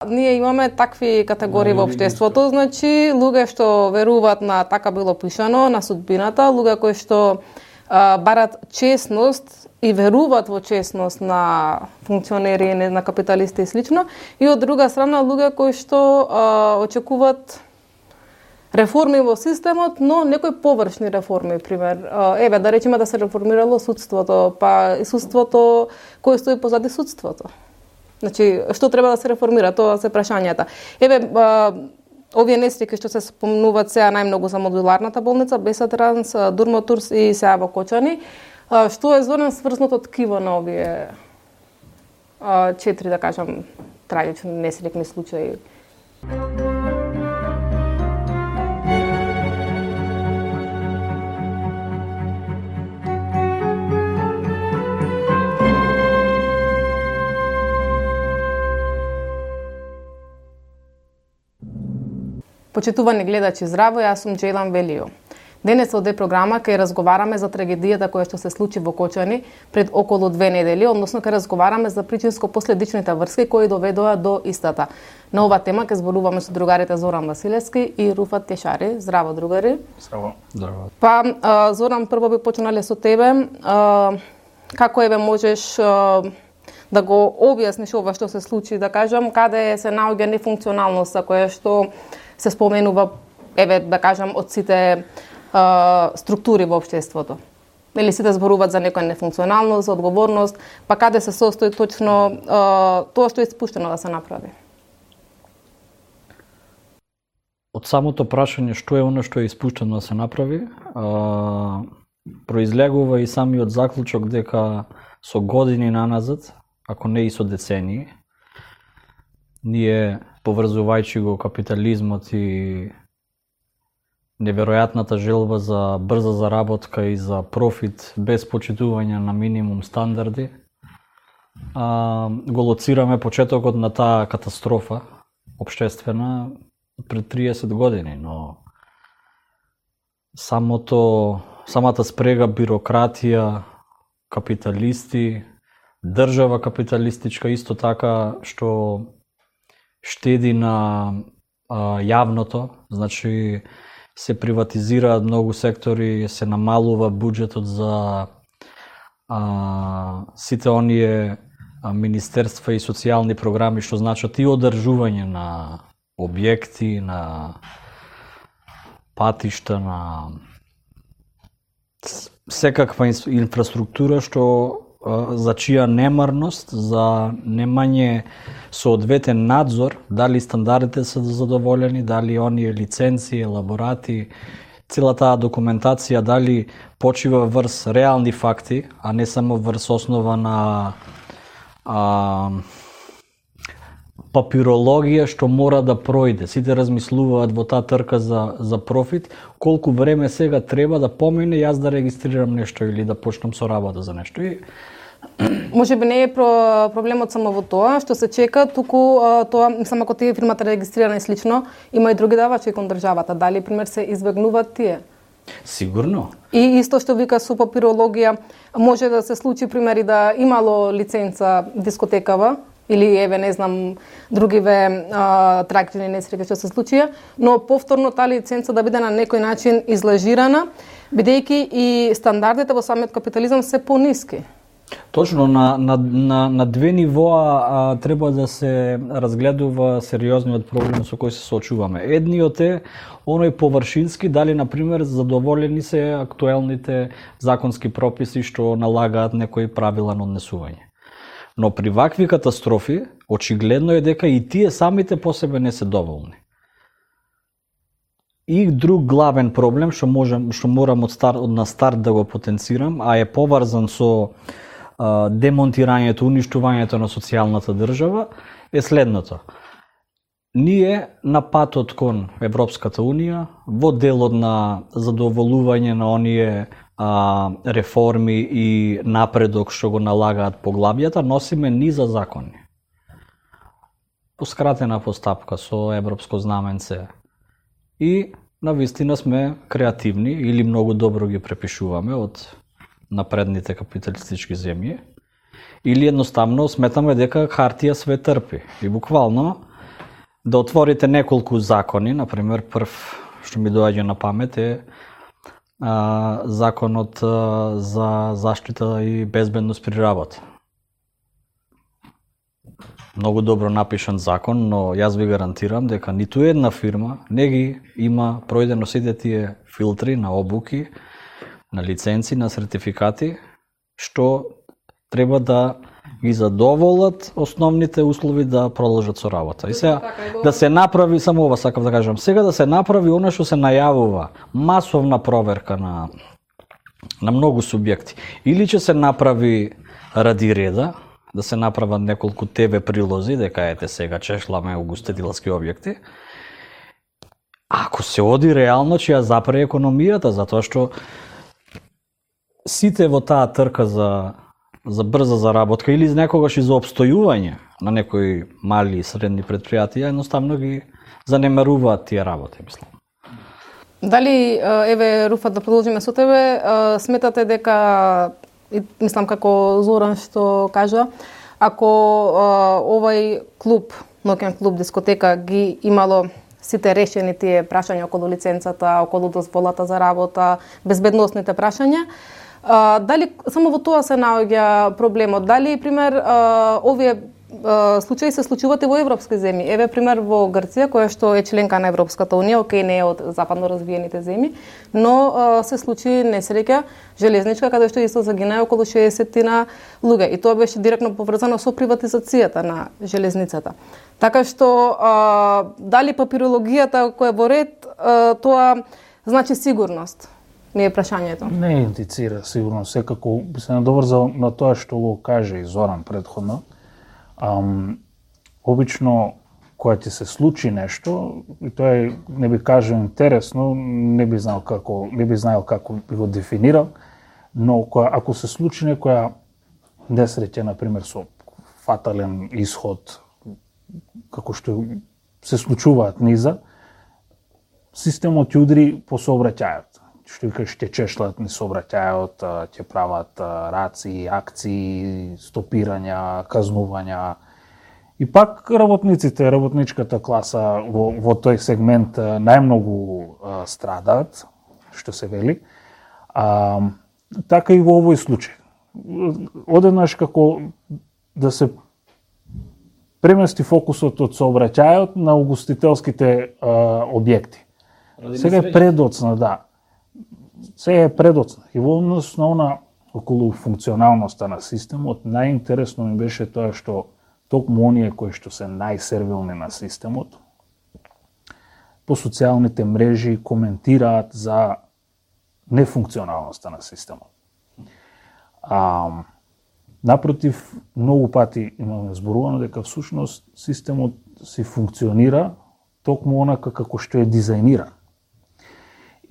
Ние имаме такви категории во општеството, значи луѓе што веруваат на така било пишано, на судбината, луѓе кои што барат честност и веруваат во честност на функционери, на капиталисти и слично, и од друга страна луѓе кои што очекуваат реформи во системот, но некои површни реформи, пример. Еве, да речеме да се реформирало судството, па и судството, кој стои позади судството. Значи, што треба да се реформира, тоа се прашањата. Еве, овие несреќи што се спомнуваат сега најмногу за модуларната болница, Бесатранс, Дурмотурс и сега во Кочани, што е Зоран сврзното ткиво на овие 4, да кажам, трагични несреќни случаи? Почитувани гледачи, здраво, јас сум Джейлан Велио. Денес од програма ќе разговараме за трагедијата која што се случи во Кочани пред околу 2 недели, односно ќе разговараме за причинско-последичните врски кои доведоа до истата. На оваа тема ќе зборуваме со другарите Зоран Василевски и Руфат Тешари. Здраво, другари. Здраво. Здраво. Па, Зоран, прво би почнале со тебе. Како еве можеш да го објасниш ова што се случи, да кажам, каде се наоѓа нефункционалноста која што се споменува, еве, да кажам, од сите структури во општеството. Или сите зборуваат за некоја нефункционалност, за одговорност, па каде се состои точно тоа што е испуштено да се направи? Од самото прашање што е оно што е испуштено да се направи, произлегува и самиот заклучок дека со години наназад, ако не и со децении, ние, поврзувајќи го капитализмот и неверојатната желба за брза заработка и за профит без почитување на минимум стандарди, го лоцираме почетокот на таа катастрофа општествена пред 30 години, но самата спрега бирократија, капиталисти, држава капиталистичка исто така што штеди на јавното, значи се приватизираат многу сектори, се намалува буџетот за сите оние министерства и социјални програми што значат и одржување на објекти, на патишта, на секаква инфраструктура што за чија немарност, за немање соодветен надзор, дали стандардите се задоволени, дали оние лиценци, елаборати, цела таа документација, дали почива врз реални факти, а не само врз основа на папирологија што мора да пројде. Сите размислуваат во таа трка за профит, колку време сега треба да помине јас да регистрирам нешто или да почнам со работа за нешто. Може би не е проблемот само во тоа што се чека, туку тоа само ако тие фирмата регистрирана и слично, има и други давачи кон државата. Дали пример се избегнуваат тие? Сигурно. И исто што вика со папирологија, може да се случи примери да имало лиценца дискотекава или еве не знам другиве трагични несреќи што се случија, но повторно таа лиценца да биде на некој начин излажирана, бидејќи и стандардите во самиот капитализам се пониски. Точно, на две нивоа треба да се разгледува сериозниот проблем со кој се соочуваме. Едниот е оној површински, дали, например, задоволени се актуелните законски прописи што налагаат некои правила на однесување. Но при вакви катастрофи, очигледно е дека и тие самите по себе не се доволни. И друг главен проблем што морам на старт да го потенцирам, а е поврзан со демонтирањето, уништувањето на социјалната држава, е следното. Ние на патот кон Европската Унија, во делот на задоволување на оние реформи и напредок што го налагаат поглавјата, носиме низа закони. По скратена постапка со европско знаменце. И навистина сме креативни или многу добро ги препишуваме од напредните капиталистички земји, или едноставно сметаме дека хартија све трпи. И буквално да отворите неколку закони, например, прв што ми доаѓа на памет е законот за заштита и безбедност при работа. Многу добро напишан закон, но јас ви гарантирам дека ниту една фирма не ги има пројдено сите тие филтри на обуки, на лиценци, на сертификати, што треба да ги задоволат основните услови да продолжат со работа. И сега да се направи, само ова сакам да кажам, сега да се направи она што се најавува, масовна проверка на многу субјекти. Или ќе се направи ради реда, да се направат неколку ТВ прилози, дека ете сега чешламе угостителски објекти. Ако се оди реално, ќе ја запре економијата, затоа што сите во таа трка за брза заработка или некогаш и за обстојување на некои мали и средни предпријатија, едноставно ги занемаруваат тие работи, мислам. Дали, еве, Руфат, да продолжиме со тебе, сметате дека, мислам како Зоран што кажа, ако овај клуб, ноќен клуб, дискотека ги имало сите решени тие прашања околу лиценцата, околу дозволата за работа, безбедносните прашања, дали само во тоа се наоѓа проблемот? Дали, пример, овие случаи се случуваат и во европски земји? Еве, пример, во Грција, која што е членка на Европската унија, окей, не е од западно развиените земји, но се случи несреќа железничка, каде што исто загинаа околу 60 луѓе. И тоа беше директно поврзано со приватизацијата на железницата. Така што, дали папирологијата која во ред, тоа значи сигурност? Не е прашањето. Не индицира сигурно, секако би се надоврзал на тоа што го каже и Зоран предходно. Обично кога ќе се случи нешто, и тоа е, не би кажал интересно, не би знаел како би го дефинирал, но ако се случи некоја несреќа, например со фатален исход, како што се случуваат низа, системот ќе удри по сообраќајот. Што викаш, ќе чешлат низ сообраќајот, ќе прават раци, акции, стопирања, казнувања. И пак работничката класа во тој сегмент најмногу страдаат, што се вели. Така и во овој случај. Одеднаш како да се премести фокусот од сообраќајот на угостителските објекти. Сега е предоцна, да. Сега е предоцна. И во однос на она околу функционалноста на системот, најинтересно ми беше тоа што токму оние кои што се најсервилни на системот, по социјалните мрежи коментираат за нефункционалноста на системот. Напротив, многу пати имаме зборувано дека всушност системот си функционира токму онака како што е дизајниран.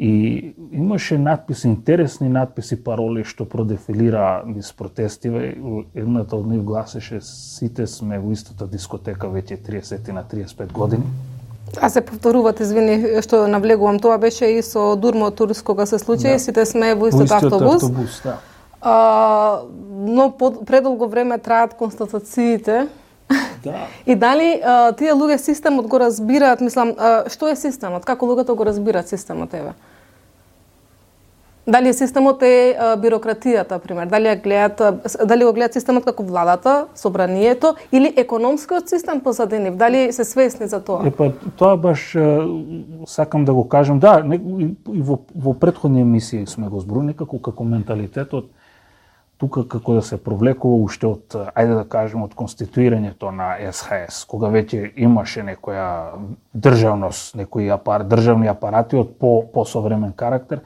И имаше надписи, интересни надписи, пароли што продефилира низ протестиве. Едната од нив гласеше: сите сме во истата дискотека веќе 30 на 35 години. А се повторуват, извини што навлегувам, тоа беше и со Дурмо Турс кога се случи, да. Сите сме во истот автобус. Да. Но предолго време траат констатациите. Да. И дали тие луѓе системот го разбираат, мислам, што е системот? Како луѓето го разбираат системот, еве? Дали системот е бирократијата, пример? Дали го гледаат системот како владата, собранието или економскиот систем позади нив? Дали се свесни за тоа? Тоа баш сакам да го кажам. Да, и во претходни емисии сме го зборували како менталитетот тука како да се провлекува уште од, ајде да кажем, од конституирањето на СХС, кога веќе имаше некоја државност, некои државни апарати од по-современ карактер.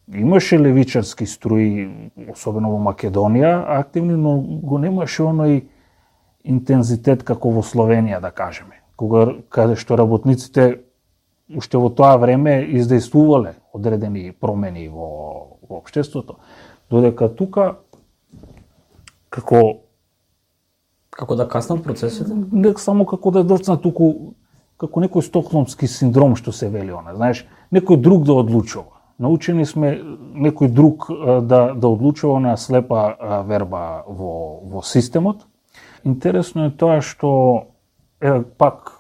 Имаше левичарски струи, особено во Македонија, активни, но го немаше оној интензитет како во Словенија, да кажеме. Каде што работниците уште во тоа време издействувале одредени промени во општеството, додека тука како да каснат процесите? Не само како да доцнат, туку како некој стокхолмски синдром што се вели она, знаеш, некој друг да одлучува. Научени сме некој друг да одлучува на слепа верба во системот. Интересно е тоа што пак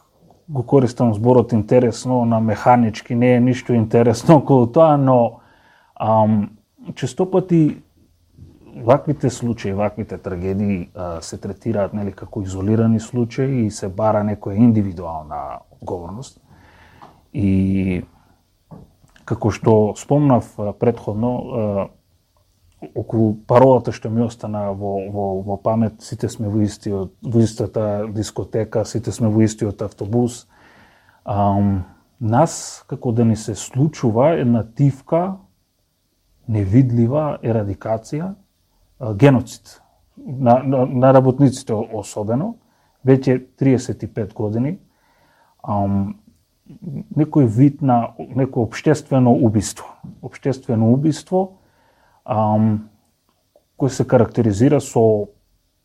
го користам зборот интересно, на механички, не е ништо интересно околу тоа, но често пати ваквите случаи, ваквите трагедии се третираат нели како изолирани случаи и се бара некоја индивидуална одговорност. И како што спомнав претходно, околу паролата што ми остана во памет, сите сме во истата дискотека, сите сме во истиот автобус. Нас, како да ни се случува една тивка, невидлива ерадикација, геноцид на работниците особено, веќе 35 години, некој вид на некој општествено убиство. Општествено убиство кој се карактеризира со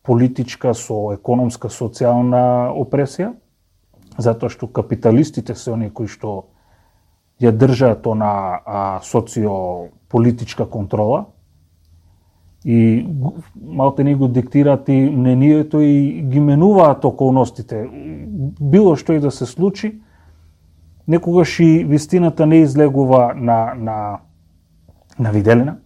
политичка, со економска, социјална опресија, затоа што капиталистите се оние кои што ја држаат на социополитичка контрола и малте не го диктираат и мнението и ги менуваат околностите. Било што и да се случи, некогаш и вистината не излегува на виделина.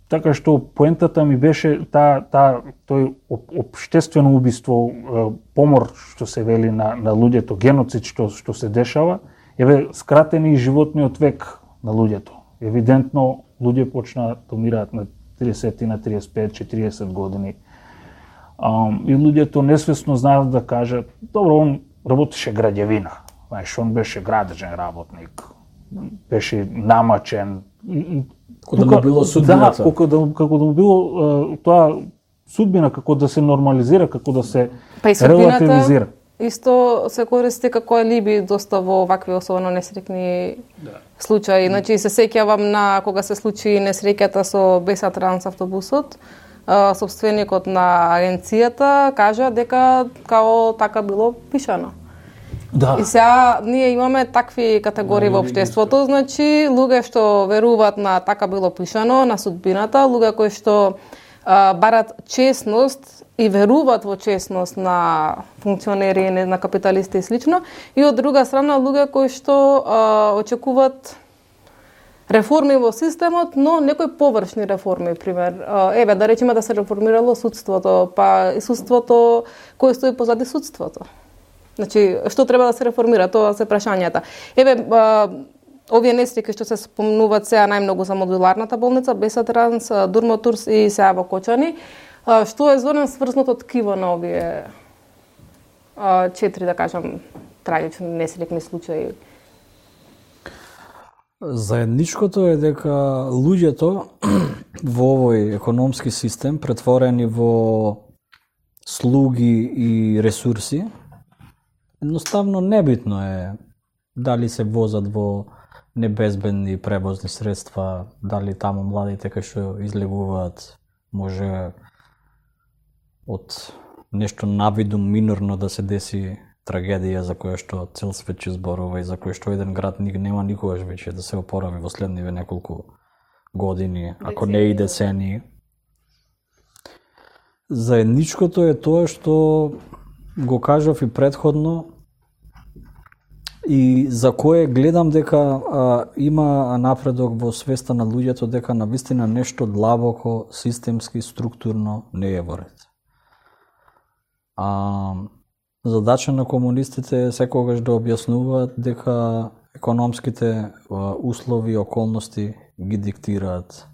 Така што поентата ми беше тој општествено убиство, помор што се вели на луѓето, геноцид што се дешава, скратени животниот век на луѓето. Евидентно луѓе почнаа да умираат на 30, на 35, 40 години. И луѓето несвесно знаат да кажат, добро, он работеше граѓевина, знаеш, он беше градежен работник, беше намачен. Како да му било судбината. Да, како да му било тоа судбина, како да се нормализира, како да се релативизира. Исто се користи како алиби доста во вакви особено несреќни случаи. Значи се сеќавам на кога се случи несреќата со Беса Транс автобусот, собственикот на агенцијата кажа дека као така било пишано. Да. И сега ние имаме такви категории во општеството, значи луѓе што веруваат на така било пишано, на судбината, луѓе кои што барат честност и веруваат во честност на функционери, на капиталисти и слично, и од друга страна луѓе кои што очекуваат реформи во системот, но некои површни реформи, пример. Да речеме да се реформирало судството, па и судството кој стои позади судството. Значи, што треба да се реформира, тоа се прашањата. Овие несреќи што се спомнуваат сега најмногу за модуларната болница, Беса Транс, Дурмотурс и сега во Кочани, што е зорен сврзното ткиво на овие 4, да кажам, трагични несреќни случаи? Заедничкото е дека луѓето во овој економски систем претворени во слуги и ресурси, едноставно небитно е дали се возат во небезбедни превозни средства, дали таму младите кои што излегуваат може од нешто навидум минорно да се деси трагедија за која што цел свет ќе зборува и за која што еден град нема никогаш веќе да се опорави во следниве неколку години, ако не и децении. Заедничкото е тоа што го кажав и претходно и за кое гледам дека има напредок во свеста на луѓето дека навистина нешто длабоко, системски, структурно не е во ред. Задача на комунистите е секогаш да објаснуваат дека економските услови и околности ги диктираат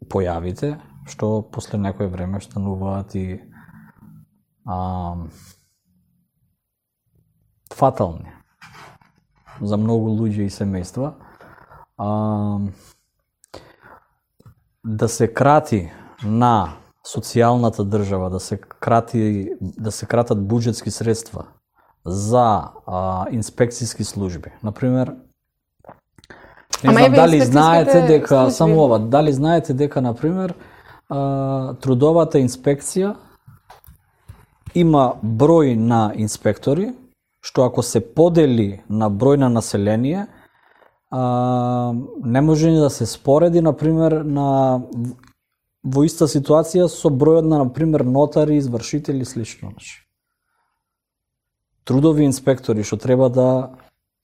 појавите, што после некој време стануваат и фатални за многу луѓе и семејства. Да се крати на социјалната држава, да се кратат буџетски средства за инспекцијски служби. Например, не знам дали знаете дека дали знаете дека например трудовата инспекција има број на инспектори, што ако се подели на број на население, не може ни да се спореди, например, на во иста ситуација со бројот на пример нотари, извршители и слично. Трудови инспектори што треба да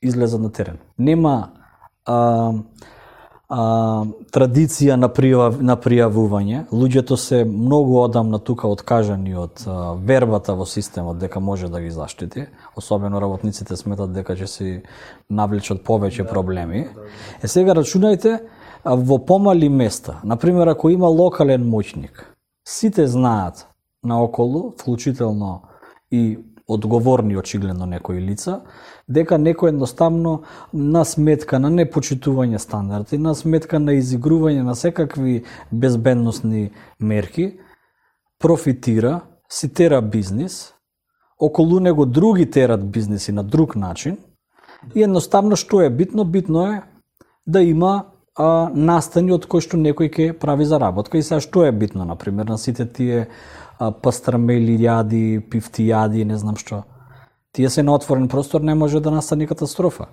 излезат на терен. Нема традиција на пријавување. Луѓето се многу одамна тука откажани од вербата во системот дека може да ги заштити. Особено работниците сметат дека ќе се навлечат повеќе проблеми. Сега рачунајте во помали места. Например, ако има локален моќник, сите знаат наоколу, вклучително и одговорни очигледно некои лица, дека некој едноставно на сметка на непочитување стандарди, на сметка на изигрување на секакви безбедносни мерки, профитира, си тера бизнис, околу него други терат бизниси на друг начин и едноставно што е битно? Битно е да има настани од кој што некој ќе прави заработка. И сега што е битно, например, на сите тие пастрамели јади, пифти јади, не знам што. Тие се на отворен простор, не може да настане катастрофа.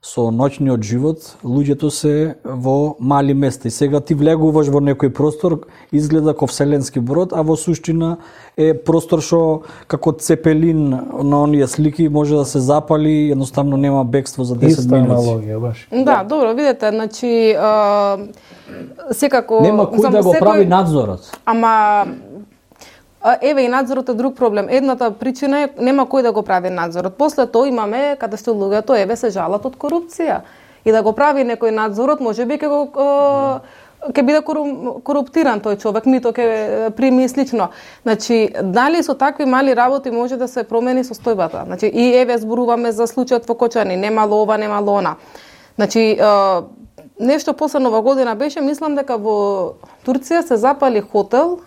Со ноќниот живот, луѓето се во мали места. И сега ти влегуваш во некој простор, изгледа како вселенски брод, а во суштина е простор што како цепелин на оние слики може да се запали, едноставно нема бегство за 10 минути. Иста аналогија, баш. Да, добро, видете, значи секако нема кој да го прави надзорот. Ама еве и надзорот е друг проблем. Едната причина е нема кој да го прави надзорот. После тоа имаме каде што луѓето еве се жалат од корупција. И да го прави некој надзорот, можеби ќе биде коруптиран тој човек, мито ќе прими слично. Значи, дали со такви мали работи може да се промени состојбата? Значи, и еве зборуваме за случајот во Кочани, немало ова, немало она. Значи, нешто после Нова година беше, мислам дека во Турција се запали хотел,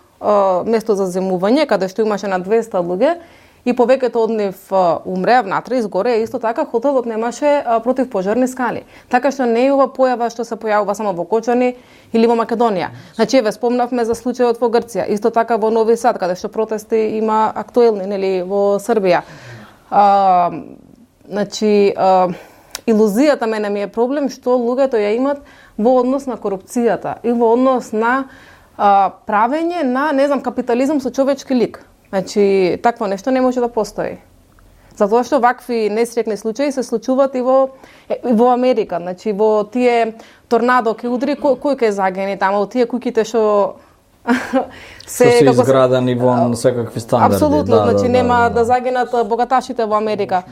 место за земување, каде што имаше на 200 луѓе и повеќето од нив умреа внатре, изгоре, исто така хотелот немаше противпожарни скали. Така што не е ова појава што се појавува само во Кочани или во Македонија. Значи, еве спомнавме за случајот во Грција, исто така во Нови Сад, каде што протести има актуелни, нели, во Србија. Значи, илузијата мене ми е проблем што луѓето ја имат во однос на корупцијата и во однос на правење на, не знам, капитализам со човечки лик. Значи, такво нешто не може да постои. Затоа што вакви несреќни случаи се случуваат и во Америка. Значи, во тие торнадо ќе удри, кој ќе загини таму, тие куќите што се изградени во секакви стандарди. Апсолутно, значи нема да загинат богаташите во Америка.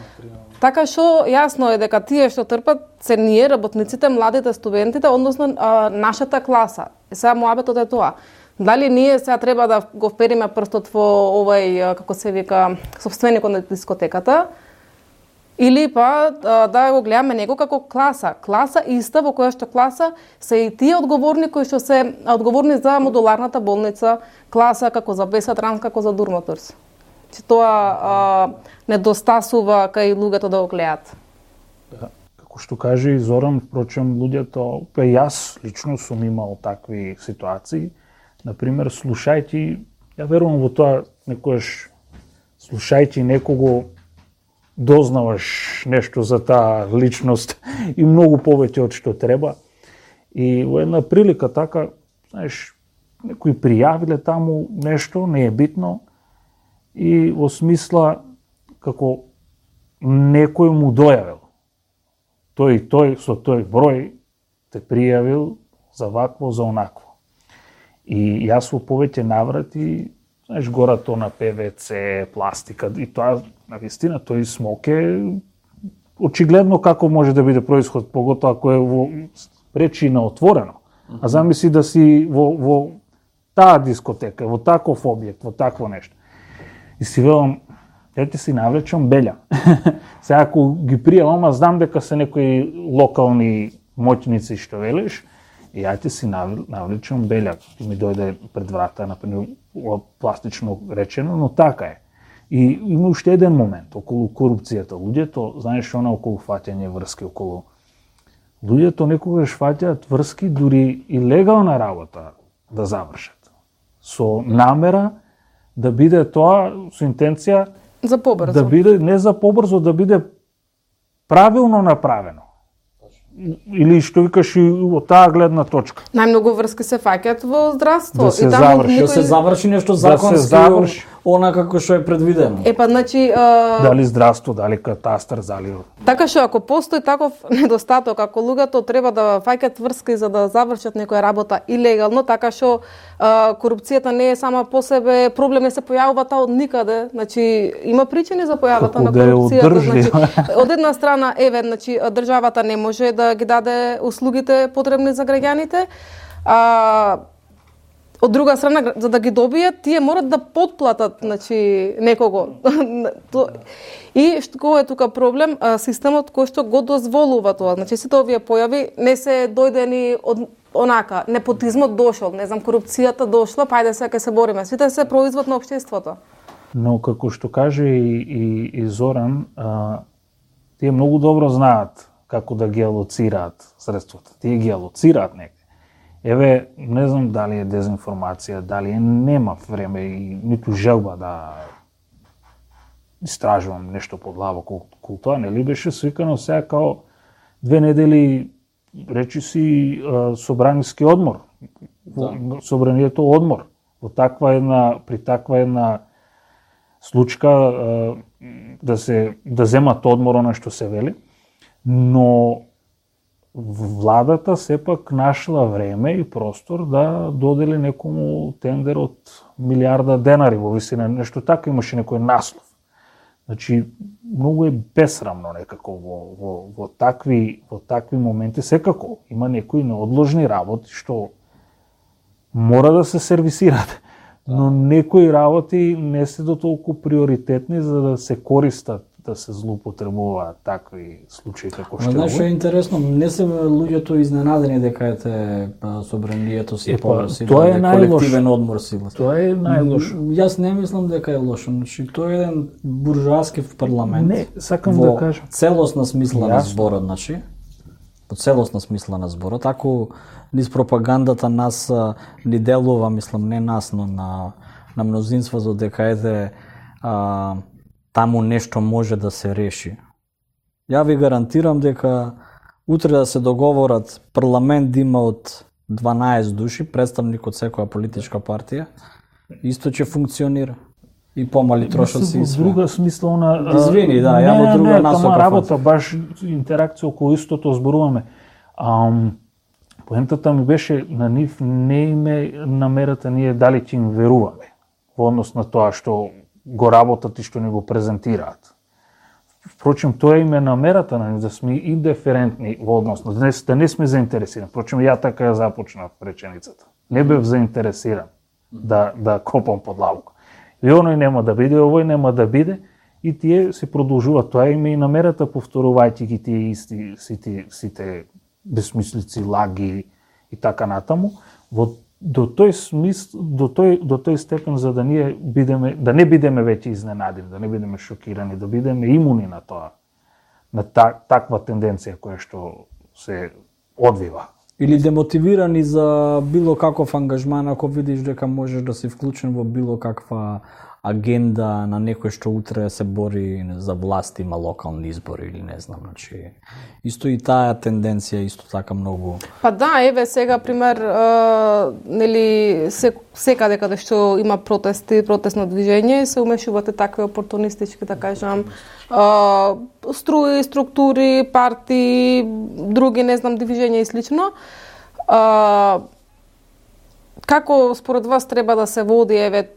Така што јасно е дека тие што трпат се ние, работниците, младите, студентите, односно нашата класа. Сега моабетот е тоа. Дали ние сега треба да го впериме прстот во овај, како се вика, собственикот на дискотеката, или па да го гледаме него како класа. Класа иста, во која што класа се и тие одговорни кои што се одговорни за модуларната болница, класа како за Беса Транс, како за Дурмоторс. Че тоа недостасува кај луѓето да го гледаат. Да, како што кажи Зоран, впрочем, луѓето, па јас лично сум имал такви ситуации. Например, слушајќи, ја верувам во тоа, некојаш слушајќи некого дознаваш нешто за таа личност и многу повеќе од што треба. И во една прилика така, знаеш, некои пријавиле таму нешто, не е битно, и во смисла како некој му дојавил. Тој со тој број те пријавил за вакво, за онакво. И јас во повеќе наврати, знаеш, горато на ПВЦ, пластика, и тоа, навистина, тој смок е очигледно како може да биде происход, поготоа ако е во пречина отворено. А замисли да си во таа дискотека, во таков објект, во такво нешто. И си велам, ја ти си навлечам белја. Сега ако ги пријавам, знам дека се некои локални моќници што велиш, и ја ти си навлечам белја. Ти ми дојде пред врата, например, пластично речено, но така е. И има уште еден момент околу корупцијата. Луѓето, знаеш, она околу фаќање врски, околу... Луѓето некогаш фаќаат врски дури и легална работа да завршат. Со намера да биде тоа, со интенција за побрзо. Да биде не за побрзо, да биде правилно направено. или што викаш и од таа гледна точка. Најмногу врски се фаќаат во здравство. Да се и таму заврши. Да се заврши нешто законски, она како што е предвидено. Значи дали здравство, дали катастар, дали така што ако постои таков недостаток, ако луѓето треба да фаќаат врски за да завршат некоја работа илегално, така што корупцијата не е сама по себе проблем, не се појавува од никаде. Значи има причини за појавата на корупцијата. Значи од една страна значи државата не може да ги даде услугите потребни за граѓаните. Од друга страна, за да ги добијат, тие морат да потплатат, значи, некого. И што е тука проблем? Системот кој што го дозволува тоа. Значи, сите овие појави не се дојдени од онака, непотизмот дошол, не знам, корупцијата дошла, па ајде сега ќе се бориме. Сите се производ на општеството. Но како што каже и Зоран, тие многу добро знаат како да ги алоцираат средствата. Тие ги алоцираат некаде. Еве, не знам дали е дезинформација, дали нема време и ниту желба да истражувам нешто подлаво околу тоа, нели беше свикано сега као 2 недели речи си собраниски одмор. Да. Собранието одмор. При таква една случка да земат одмор на што се вели, но владата сепак нашла време и простор да додели некому тендер од милиарда денари во висина, нешто така имаше некој наслов. Значи, многу е бесрамно некако во такви моменти. Секако има некои неодложни работи што мора да се сервисираат, но некои работи не се до толку приоритетни за да се користат, да се злоупотребуваат такви случаи како што е. Знаеш, е интересно, не се луѓето изненадени дека ете собранието си тоа е колективен одмор сила. Тоа е најлошо. Јас не мислам дека е лошо, значи тоа е еден буржоаски парламент. Не, сакам да кажам. Целосна смисла на зборот, значи. По целосна смисла на зборот, ако низ пропагандата нас ни делува, мислам, не нас, но на мнозинството дека ете таму нешто може да се реши. Ја ви гарантирам дека утре да се договорат парламент да има од 12 души, представник од секоја политичка партија, исто ќе функционира. И помали трошоци и све. Во друга смисловна... Извини, да, ја во друга насока. Не, работа, баш интеракција околу истото зборуваме. Поентата ми беше на нив не име намерата ние дали ќе им веруваме во однос на тоа што го работат и што ни го презентираат. Впрочем, тоа име намерата на нив да сме индиферентни во однос на да не сме заинтересирани. Впрочем, ја така ја започнав реченицата. Не бев заинтересиран да копам под лавка. И оној нема да биде, овој нема да биде, и тие се продолжуваат. Тоа име и намерата, повторувајќи ги тие исти сите безсмислици, лаги и така натаму, до тој степен за да ние не бидеме веќе изненадени, да не бидеме шокирани, да бидеме имуни на тоа, на таква тенденција која што се одвива. Или демотивирани за било каков ангажман, ако видиш дека можеш да си вклучен во било каква агенда на некој што утре се бори за власт, има локални избори или не знам, значи исто и таа тенденција исто така многу. Па да, еве сега пример, нели секаде каде што има протести, протестно движење, се умешуваат такви опортунистички, да кажам, струи, структури, партии, други, не знам, движења и слично. Како според вас треба да се води, еве,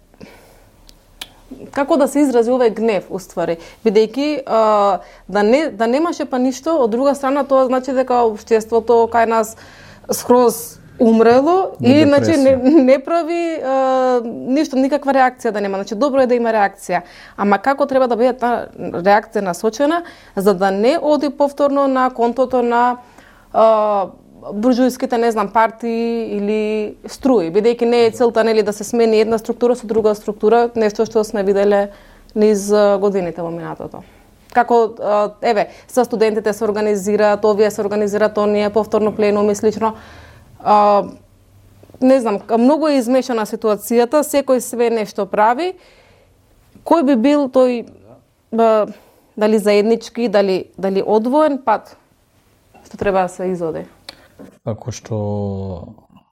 како да се изрази овој гнев, уствари, бидејќи да немаше па ништо, од друга страна тоа значи дека општеството кај нас скроз умрело и значи не прави ништо, никаква реакција да нема. Значи добро е да има реакција, ама како треба да биде таа реакција насочена за да не оди повторно на контото на буржујските, не знам, партии или струи, бидејќи не е целта, нели, да се смени една структура со друга структура, нешто што сме виделе низ годините во минатото. Како, еве, со студентите се организираат, овие се организираат, оние повторно пленуми и слично. Не знам, многу е измешана ситуацијата, секој све нешто прави. Кој би бил тој, дали заеднички, дали одвоен пат? што треба да се изоди? Како што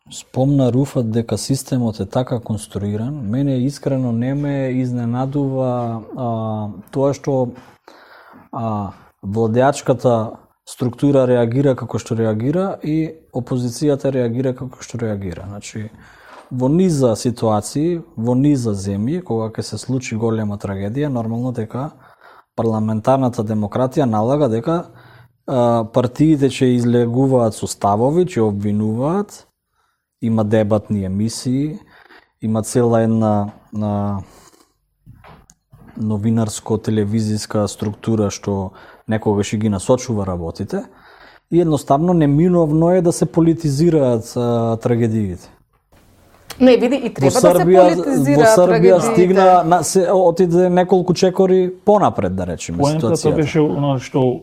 спомна Руфат дека системот е така конструиран, мене искрено не ме изненадува тоа што владеачката структура реагира како што реагира и опозицијата реагира како што реагира. Значи, во низа ситуации, во низа земји, кога ќе се случи голема трагедија, нормално дека парламентарната демократија налага дека партиите ќе излегуваат со ставови, ќе обвинуваат, има дебатни емисии, има цела една новинарско-телевизиска структура што некогаш и ги насочува работите и едноставно неминовно е да се политизираат трагедиите. Не, види, и треба да се политизираат трагедиите. Во Србија отиде неколку чекори понапред, да речеме, ситуацијата. Поентата беше оно што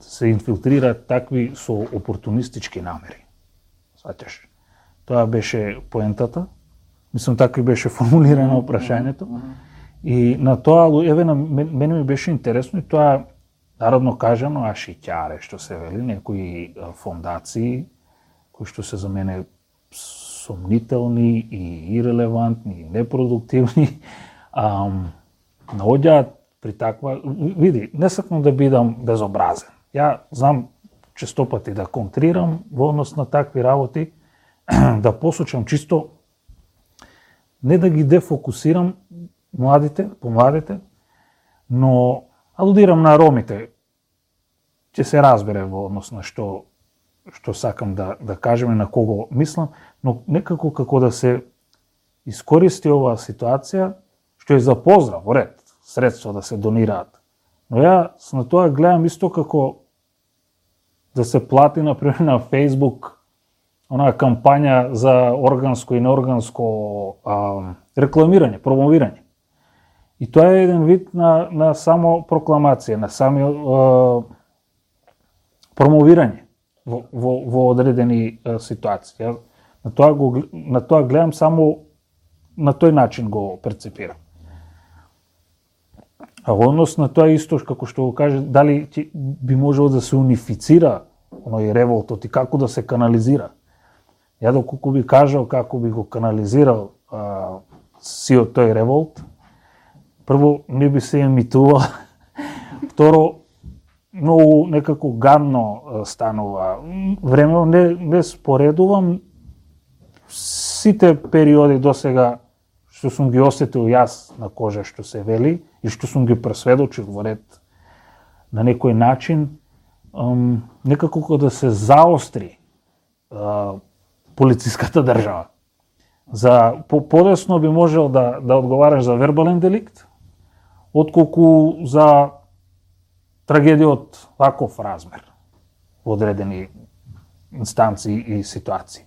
се инфилтрираат такви со опортунистички намери. Сваќаш? Тоа беше поентата. Мислам, така и беше формулирано прашањето. И на тоа, еве, мене ми беше интересно и тоа, народно кажано, ашиќаре, што се вели, некои фондации, кои што се за мене сомнителни и ирелевантни, и непродуктивни, наоѓаат при таква... Види, не сакам да бидам безобразен. Ја знам честопати да контрирам во однос на такви работи, да посочам чисто, не да ги дефокусирам помладите, но алудирам на ромите. Ќе се разбере во однос на што сакам да кажем и на кого мислам, но некако како да се искористи оваа ситуација, што е за поздрав, во ред, средства да се донираат. Но ја на тоа гледам исто како да се плати, например, на Facebook онаа кампања за органско и неорганско рекламирање, промовирање. И тоа е еден вид на само прокламација, на сами промовирање во одредени ситуации. На тоа гледам само на тој начин го перцепирам. А во однос на тоа исто, како што го каже, дали би можело да се унифицира оној револтот и како да се канализира. Ја доколку би кажал како би го канализирал сиот тој револт, прво не би се емитувал, второ многу некако гадно станува. Времено не споредувам сите периоди досега што сум ги осетил јас на кожа што се вели и што сум ги пресведочил во ред на некој начин, некако да се заостри полициската држава. За подесно би можел да одговараш за вербален деликт, отколку за трагедија од ваков размер во одредени инстанции и ситуации.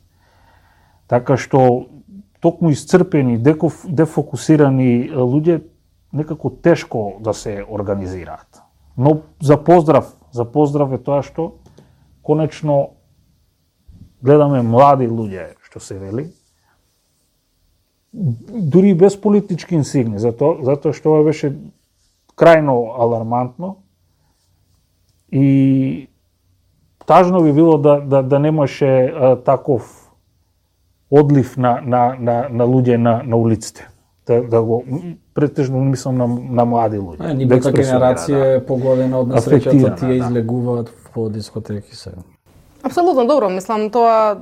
Така што токму исцрпени, дефокусирани луѓе некако тешко да се организираат. Но за поздрав е тоа што конечно гледаме млади луѓе, што се вели, дури без политички инсигни, затоа што ова беше крајно алармантно и тажно би било да немаше таков одлив на луѓе на улиците. Да го претежно мислам на млади луѓе. Нивната генерација е погодена од несреќата, тие излегуваат по дискотеки сега. Апсолутно, добро, мислам, тоа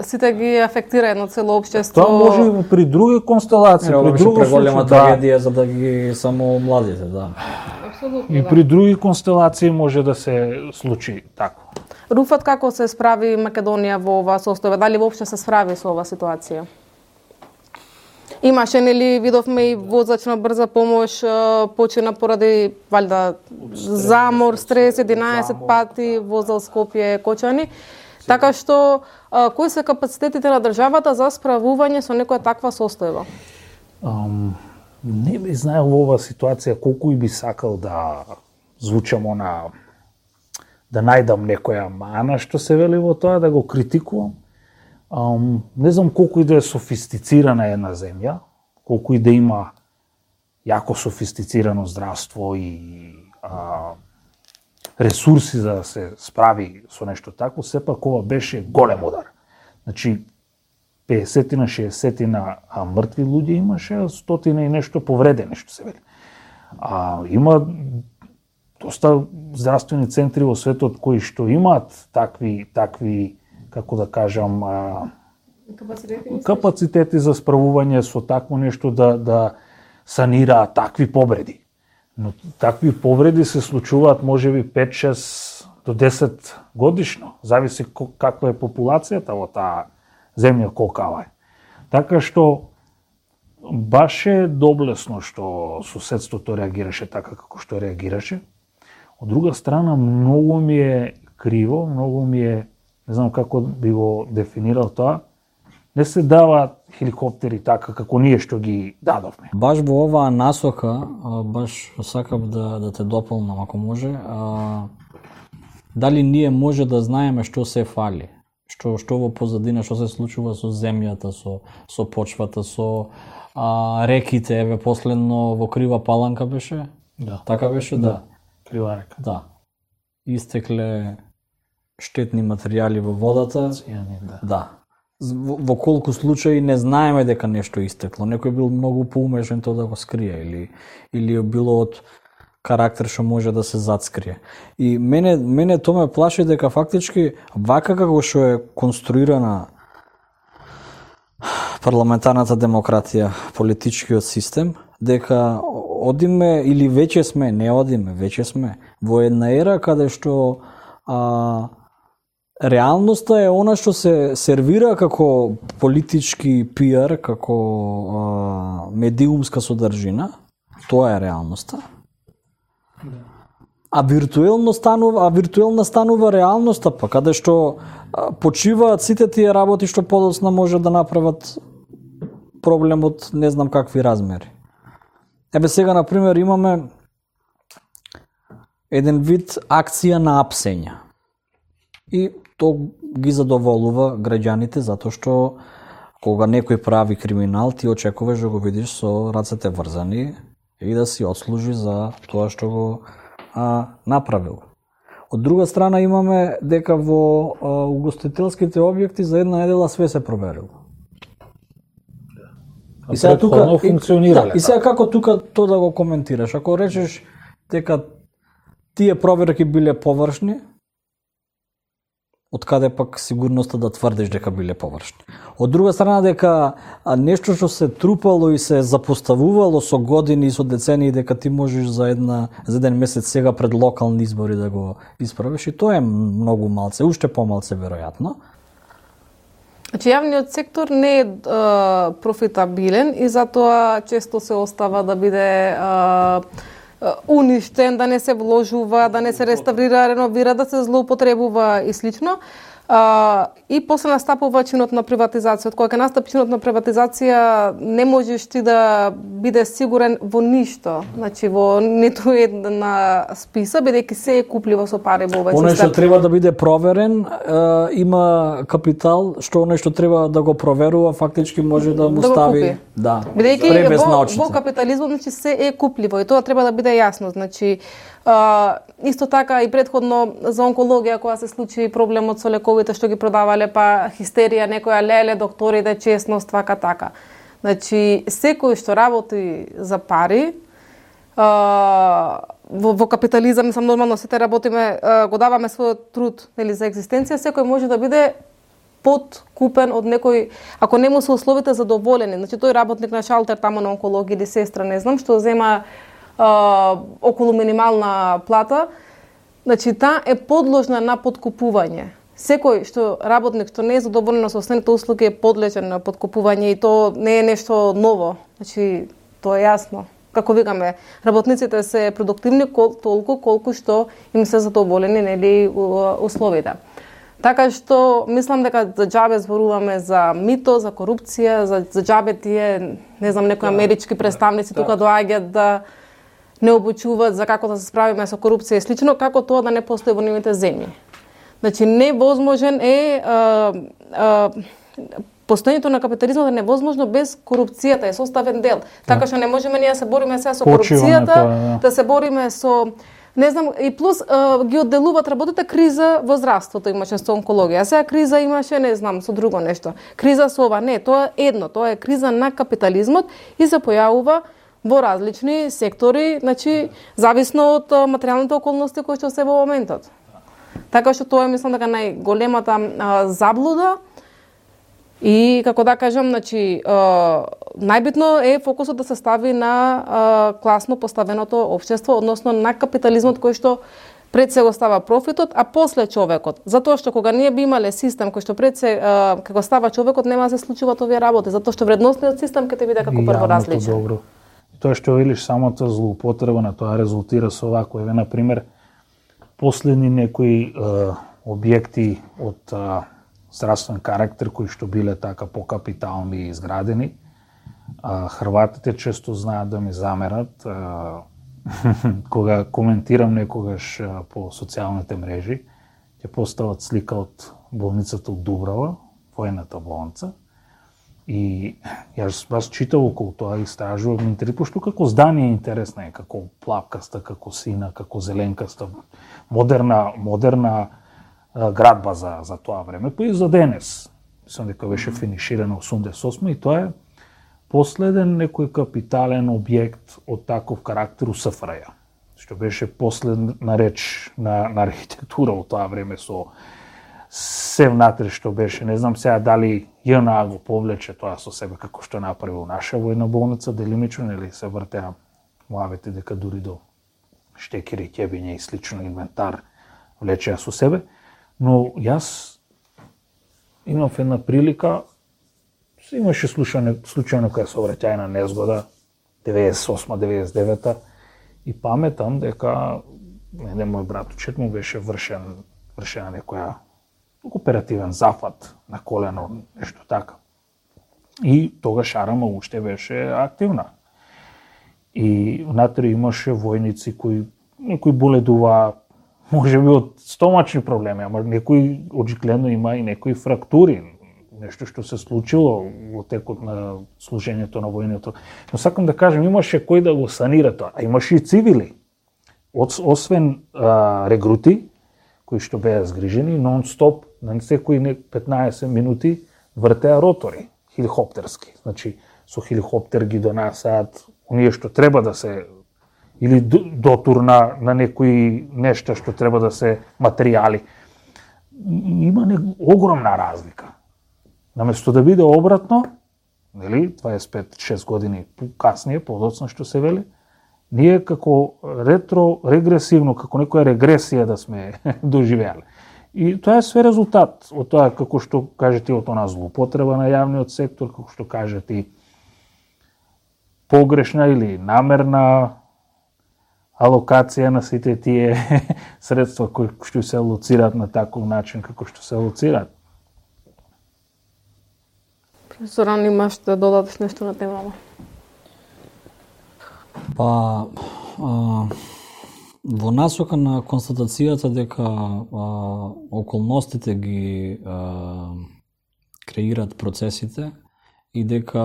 сите ги афектира едно цело општество. Тоа може и при други констелации, при друго преголема трагедија за да ги само младите, да. Апсолутно, и при други констелации може да се случи тако. Руфат, како се справи Македонија во оваа состојба? Дали воопшто се справи со оваа ситуација? Имаше, нели, видовме и возач на брза помош почина поради валјда замор, стрес, 11 пати возел Скопје Кочани. Така што кои се капацитетите на државата за справување со некоја таква состојба? Не би знаел во оваа ситуација колку и би сакал да звучам да најдам некоја мана што се вели во тоа, да го критикувам. Не знам колку и да е софистицирана една земја, колку и да има јако софистицирано здравство и ресурси за да се справи со нешто такво, сепак ова беше голем удар. Значи 50-тина, 60-тина мртви луѓе имаше, 100-тина и нешто повредени, што се вели. Има доста здравствени центри во светот кои што имаат такви како да кажам, капацитети за справување со такво нешто да санираат такви повреди. Но такви повреди се случуваат можеби 5-6 до 10 годишно, зависи каква е популацијата во таа земја, колкава е. Така што баш е доблесно што соседството реагираше така како што реагираше. Од друга страна, многу ми е криво, многу ми е, не знам како би го дефинирал тоа, не се даваат хеликоптери така како ние што ги дадовме. Баш во оваа насока, баш сакам да те дополнам ако може, дали ние може да знаеме што се фали, што во позадина, што се случува со земјата, со почвата, со реките, еве последно во Крива Паланка беше? Да. Така беше, да. Крива река. Да. Истекле штетни материјали во водата. Да. Во колку случаи не знаеме дека нешто истекло. Некој бил многу поумешен тоа да го скрие или било од карактер што може да се затскрие. И мене тоа ме плаши дека фактички вака како што е конструирана парламентарната демократија, политичкиот систем, дека одиме или веќе сме во една ера каде што реалноста е она што се сервира како политички пиар, како медиумска содржина. Тоа е реалноста. А виртуелна станува реалноста, па каде што почиваат сите тие работи што подоцна може да направат проблемот не знам какви размери. Еве сега, например, имаме еден вид акција на апсење. И тоа ги задоволува граѓаните, затоа што кога некој прави криминал, ти очекуваш да го видиш со рацете врзани и да си отслужи за тоа што го направил. Од друга страна имаме дека во угостителските објекти за една недела све се проверило. И сега тука функционирале. И сега како тука тоа да го коментираш? Ако речеш дека тие проверки биле површни, од каде пак сигурноста да тврдиш дека биле површни? Од друга страна дека нешто што се трупало и се запоставувало со години и со децении дека ти можеш за еден месец сега пред локални избори да го исправиш, и тоа е многу малце, уште помалце веројатно. Значи, јавниот сектор не е профитабилен и затоа често се остава да биде уништен, да не се вложува, да не се реставрира, реновира, да се злоупотребува и слично. И после настапува чинот на приватизација. Од кога ќе настапи чинот на приватизација, не можеш ти да биде сигурен во ништо. Значи, во ниту една списа, бидејќи се е купливо со пари во овој систем. Оној што треба да биде проверен, има капитал, што оној што треба да го проверува, фактички може да му стави пребес на очите. Во капитализмот, значи, се е купливо и тоа треба да биде јасно. Значи, исто така и предходно за онкологија, кога се случи проблемот со лековите што ги продавале, па хистерија, некоја леле, докторите, честност, вака така. Значи, секој што работи за пари, во капитализам, мислам, нормално сите работиме, го даваме својот труд, нели, за екзистенција, секој може да биде подкупен од некој, ако не му се условите задоволени. Значи, тој работник на шалтер тамо на онкологија или сестра, не знам, што зема околу минимална плата, значи таа е подложна на подкупување. Секој работник што не е задоволен со основните услуги е подлежен на подкупување и тоа не е нешто ново. Значи тоа е јасно. Како викаме, работниците се продуктивни толку колку што им се задоволени, нели, условите. Така што мислам дека за џабе зборуваме за мито, за корупција, за џабе тие, не знам, некои амерички представници тука доаѓаат да не обучуваат за како да се справиме со корупција и слично, како тоа да не постои во нивните земји. Значи, невозможен е постоењето на капитализмот е невозможно без корупцијата, е составен дел. Така што не можеме ние да се бориме сега со корупцијата, да се бориме со Не знам, и плюс ги одделуваат работите криза во здравството имаше со онкологија. Сега криза имаше, не знам, со друго нешто. Криза со ова, не, тоа е едно, тоа е криза на капитализмот и се појавува во различни сектори, значи зависно од материјалните околности кои што се во моментот. Така што тоа е, мислам, дека најголемата заблуда. И како да кажам, значи најбитно е фокусот да се стави на класно поставеното општество, односно на капитализмот кој што пред се го става профитот, а после човекот. Затоа што кога ние би имале систем кој што пред се како става човекот, нема да се случуваат овие работи, затоа што вредностниот систем ќе те биде како прво различен. Добро. Тоа што велиш, самата злоупотреба на тоа резултира со овако, еве на пример последни некои објекти од здравствен карактер кои што биле така покапитални изградени. Хрватите често знаат да ми замерат кога коментирам некогаш по социјалните мрежи, ќе постават слика од болницата од Дубрава, воената болница. И јас читав околу тоа и истражував, ме интересува што како здание е интересно, е како плавкаста, како сина, како зеленкаста, модерна градба за тоа време, па и за денес. Мислам дека беше финиширано 88 и тоа е последен некој капитален објект од таков карактер у СФРЈ, што беше последна реч на архитектура во тоа време со се внатре што беше. Не знам сега дали ЈНА го повлече тоа со себе како што направил наша војна болница, делимично, или се вртеа муавете дека дури до штекери, ќебиња и слично инвентар влечеа со себе. Но јас имав една прилика, имаше случајно која сообраќајна незгода, 98-99 и паметам дека еден мој братучет му беше вршена некоја оперативен зафат на колено, нешто така. И тогаш Арама уште беше активна. И внатре имаше војници кои некои боледува, може би од стомачни проблеми, ама некои очигледно има и некои фрактури, нешто што се случило во текот на служењето на војното. Но сакам да кажем, имаше кој да го санира тоа, а имаше и цивили. Освен регрути, кои што беа згрижени, нон-стоп, на секои 15 минути вртеа ротори, хеликоптерски. Значи, со хеликоптер ги донасаат оние што треба да се, или дотур на некои нешта што треба да се материјали. Има огромна разлика. Наместо да биде обратно, нели, 25-6 години касније, подоцна што се вели, ние како регресивно, како некоја регресија да сме доживеале. И тоа е све резултат од тоа, како што кажете, од она злоупотреба на јавниот сектор, како што кажете, погрешна или намерна алокација на сите тие средства кои што се алоцираат на таков начин како што се алоцираат. Зоран, имаш да додадеш нешто на темава? Па, во насока на констатацијата дека околностите ги креираат процесите и дека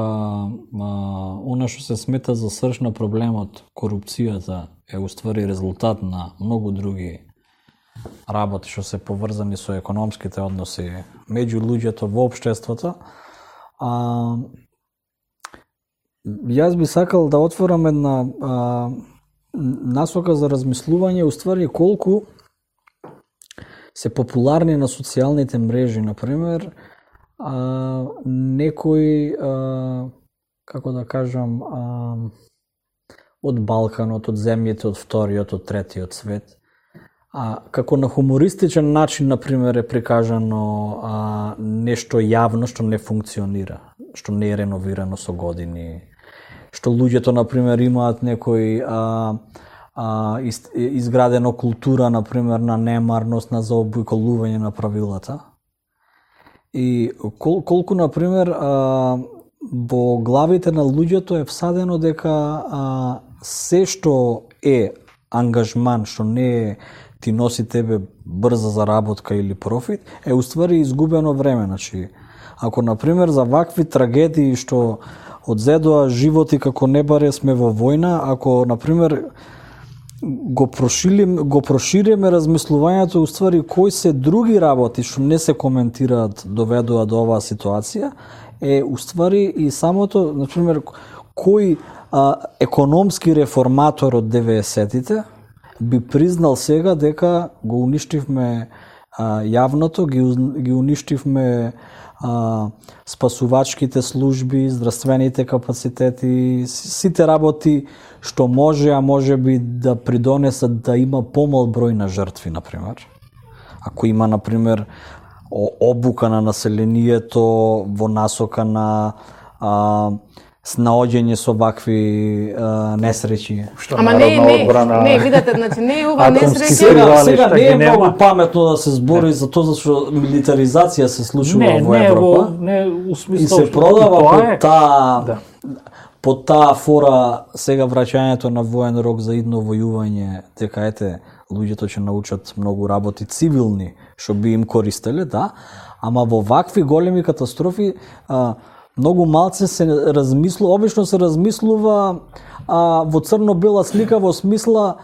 она што се смета за срж на проблемот, корупцијата, е уствари резултат на многу други работи што се поврзани со економските односи меѓу луѓето во општеството. Јас би сакал да отворам една насока за размислување, уствари колку се популарни на социјалните мрежи, например, некои, како да кажам, од Балканот, од земјите од вториот, од третиот свет, како на хумористичен начин, например, е прикажано нешто јавно што не функционира, што не е реновирано со години, што луѓето, например, имаат некој изградена култура, например, на немарност, на заобиколување на правилата. И колку, например, во главите на луѓето е всадено дека се што е ангажман, што не е ти носи тебе брза заработка или профит, е уствари изгубено време. Значи, ако, например, за вакви трагедии што одзедоа животи како не баре сме во војна, ако, например, го прошириме размислувањето уствари кои се други работи што не се коментираат доведува до оваа ситуација, е уствари и самото, например, кој економски реформатор од 90-тите би признал сега дека го уништивме јавното, ги уништивме спасувачките служби, здравствените капацитети, сите работи што може би да придонесат да има помал број на жртви, например. Ако има, например, обука на населението во насока на снаоѓање со вакви несреќи. Ама не, видете, значи не е ова несреќа. Сега не е многу паметно да се збори за тоа зашто милитаризација се случува во Европа. Не, у смисло и се продава под таа фора сега враќањето на воен рок за идно војување, дека ете луѓето ќе научат многу работи цивилни што би им користеле, да, ама во вакви големи катастрофи многу малце се размислува, обично се размислува во црно-бела слика во смисла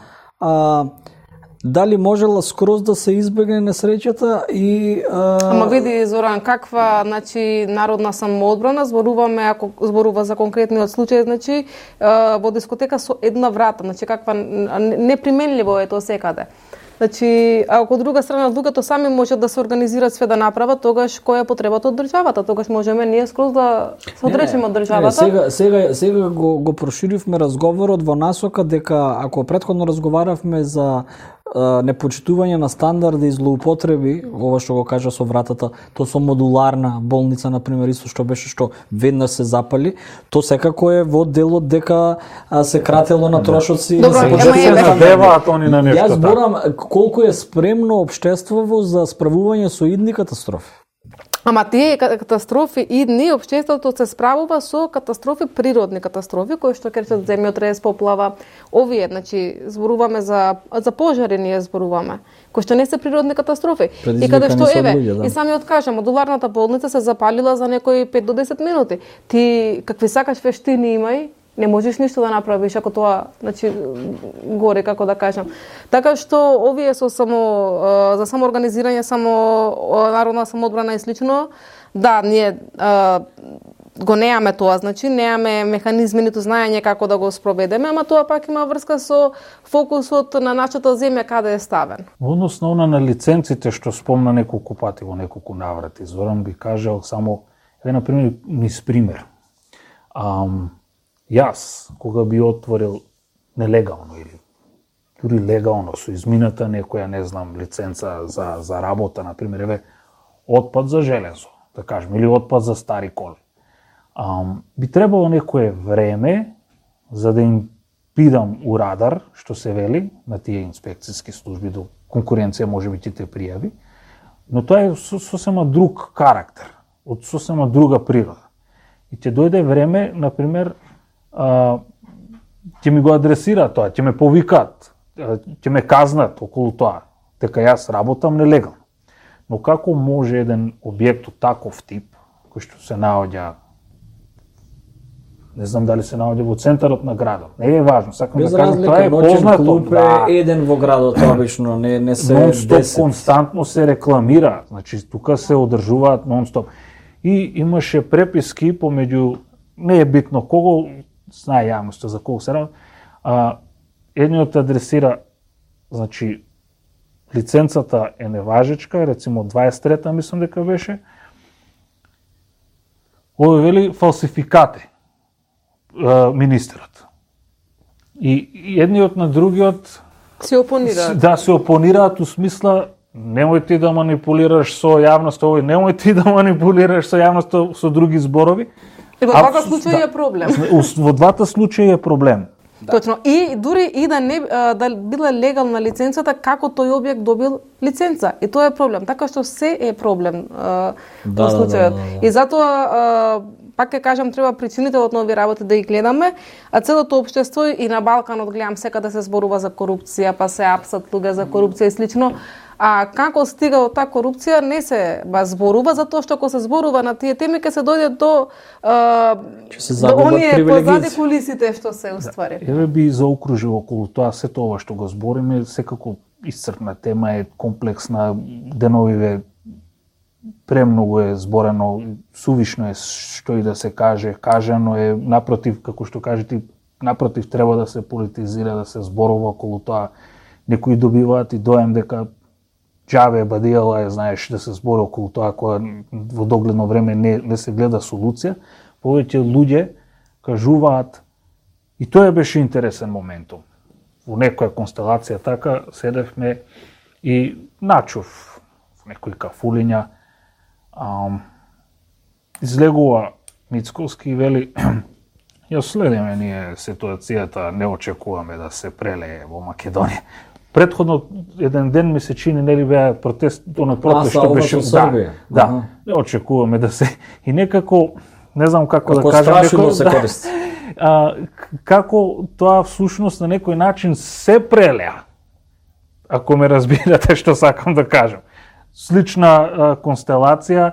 дали можела скроз да се избегне несреќата и Ама види, Зоран, каква, значи, народна самоодбрана, ако зборува за конкретниот случај, значи, во дискотека со една врата, значи, каква неприменливо е тоа секаде. Значи, ако од друга страна луѓето сами можат да се организираат све да направат, тогаш која е потребата од државата? Тогаш можеме ние скроз да се одречеме од државата. Сега го проширивме разговорот во насока дека ако претходно разговаравме за непочитување на стандарди и злоупотреби, ова што го кажа со вратата, то со модуларна болница, например, исто што беше што веднаш се запали, то секако е во делот дека се кратело на трошоци. се надеваат они на нешто. Јас зборам колку е спремно општеството за справување со идни катастрофи. Ама тие катастрофи идни, општеството се справува со катастрофи, природни катастрофи, кои што кречат земјотрес, поплава, овие, значи, зборуваме за пожари, ние зборуваме, кои што не се природни катастрофи. И каде што и самиот кажа, модуларната болница се запалила за некои 5 до 10 минути. Ти какви сакаш вештини имај, не можеш ништо да направиш ако тоа, значи, горе, како да кажам. Така што овие со за самоорганизирање, народна самоодбрана и слично, да, ние го неаме тоа, значи неаме механизми ниту знаење како да го спроведеме, ама тоа пак има врска со фокусот на нашата земја каде е ставен. Во однос на лиценците што спомна неколку пати во неколку наврати, Зоран би кажал само на пример низ пример. Јас, кога би отворил нелегално или дури легално со измината некоја, не знам, лиценца за работа, например, отпад за железо, да кажем, или отпад за стари коли. Би требало некое време за да им бидам у радар, што се вели, на тие инспекцијски служби, до конкуренција може би ќе те пријави, но тоа е сосема друг карактер, од сосема друга природа. И ќе дојде време, например, ќе ми го адресираат тоа, ќе ме повикаат, ќе ме казнат околу тоа, дека јас работам нелегално. Но како може еден објект од таков тип, кој што се наоѓа, не знам дали се наоѓа во центарот на градот, не е важно, сакам да кажам, тоа е познато. Клуб е еден во градот, обично, не се нон-стоп константно се рекламира, значи тука се одржуваат нон-стоп. И имаше преписки помеѓу, не е битно кого, знае јавноста за кого се работи, едниот адресира, значи, лиценцата е неважечка, рецимо 23-та мислам дека беше, овој вели фалсификати министерот. И едниот на другиот се опонираат. Да, се опонираат у смисла немој ти да манипулираш со јавноста, овој немој ти да манипулираш со јавноста со други зборови. Во двата случаи е проблем. Во двата случаи е проблем. Да. Точно. И дури и да била легална лиценцата, како тој објект добил лиценца. И тоа е проблем. Така што се е проблем во случајот. И затоа пак ќе кажам, треба причинителот на овие работи да ги гледаме, а целото општество и на Балканот гледам секаде се зборува за корупција, па се апсат луѓе за корупција и слично. А како стига до таа корупција не се зборува, затоа што ако се зборува на тие теми ќе се дојде до оние позади кулисите што се уствари. Еве би заокружил околу тоа сето ова што го збориме, секако исцрпна тема е, комплексна, деновиве премногу е зборено, сувишно е што и да се каже, кажано е, напротив, како што кажете, напротив треба да се политизира, да се зборува околу тоа. Некои добиваат и доем дека џабе бадијала е, знаеш, да се збори околу тоа кога во догледно време не се гледа солуција. Повеќе луѓе кажуваат, и тоа беше интересен моментум. Во некоја констелација така седевме и начув во некои кафулиња, излегува Мицковски и вели ја следиме ние ситуацијата, не очекуваме да се прелее во Македонија. Предходно еден ден ми се чини нели беа протест што беше да, не очекуваме да се и некако не знам како да кажам, некој се користи. Како тоа всушност на некој начин се прелеа. Ако ме разбирате што сакам да кажам. Слична констелација,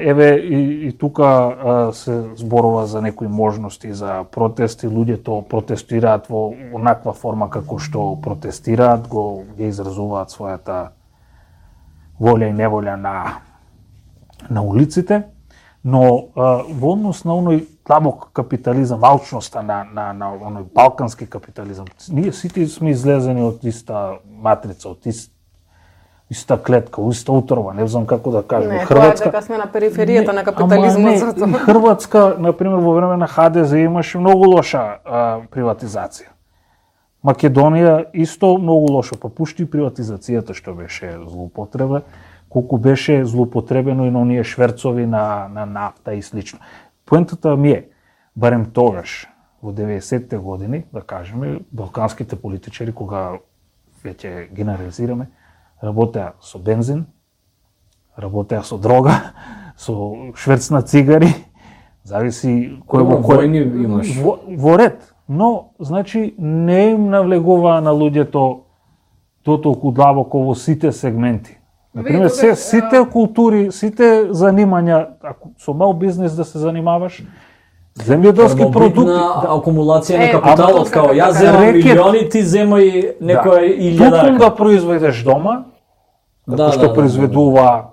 еве и тука се зборува за некои можности за протести, луѓето протестираат во онаква форма како што протестираат, го изразуваат својата волја и неволја на улиците, но во однос на оној длабок капитализам, алчноста на оној балкански капитализам, ние сите сме излезени од иста матрица, од иста клетка, иста утрова, не знам како да кажем. Не, Хрватска дека сме на периферијата на капитализмот. Хрватска, например, во време на ХДЗ имаше многу лоша приватизација. Македонија исто многу лошо, па пушти приватизацијата што беше злоупотреба, колку беше злоупотребено и на оние шверцови на нафта и слично. Поентата ми е, барем тогаш, во 90-те години, да кажеме, балканските политичари, кога веќе генерализираме, работеа со бензин, работеа со дрога, со шверц на цигари, зависи кој во војни имаш. Во ред, но значи не им навлегуваа на луѓето дотолку длабоко во сите сегменти. Например, сите култури, сите занимања, ако со мал бизнес да се занимаваш, земјоделски продукти, акумулација на капиталот, као јас земам милиони, ти земај некој илјадарка. Токму да произведеш дома, како што произведува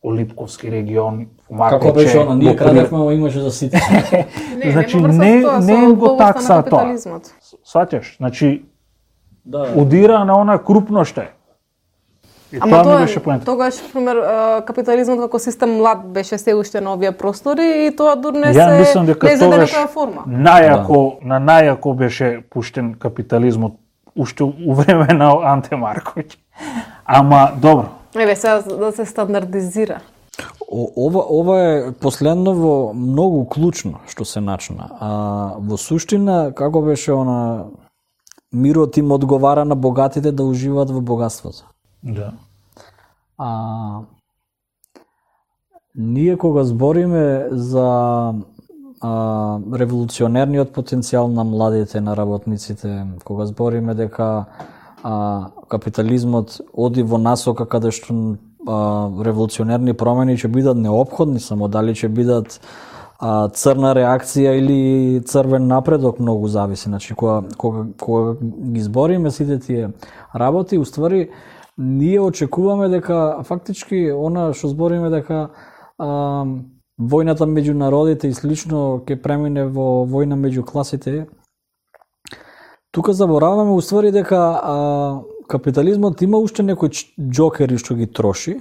Олипковски регион, Фумакече. Како беше она, ние крадевме, но имаше за сите. Значи не го такса тоа. Сваќаш, значи удира на она крупно што е. Ама тоа тогаш, пример, капитализмот како систем млад беше се уште на овие простори и тоа дур не се некоја форма. На најако беше пуштен капитализмот уште у време на Анте Марковиќ. Ама добро. Еве сега да се стандардизира. Ова е последново многу клучно што се начна. Во суштина како беше она мирот им одговара на богатите да уживаат во богатството. Да. Ние кога збориме за револуционерниот потенцијал на младите, на работниците, кога збориме дека капитализмот оди во насока каде што револуционерни промени ќе бидат неопходни, само дали ќе бидат црна реакција или црвен напредок, многу зависи. Значи, кога ги збориме сите тие работи, уствари ние очекуваме дека фактички она што збориме дека војната меѓу народите и слично ќе премине во војна меѓу класите. Тука забораваме уствари дека капитализмот има уште некои џокери што ги троши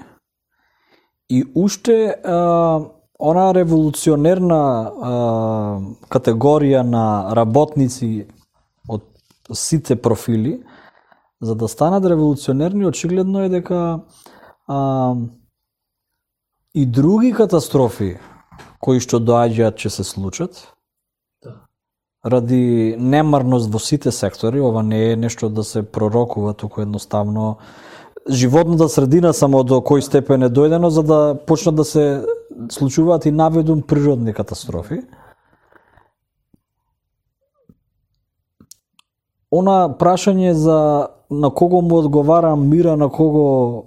и уште она револуционерна категорија на работници од сите профили. За да станат револуционерни, очигледно е дека и други катастрофи кои што доаѓаат ќе се случат. Ради немарност во сите сектори, ова не е нешто да се пророкува, туку едноставно животната средина само до кој степен е дојдено за да почнат да се случуваат и наведум природни катастрофи. Она прашање за на кого му одговара мира, на кого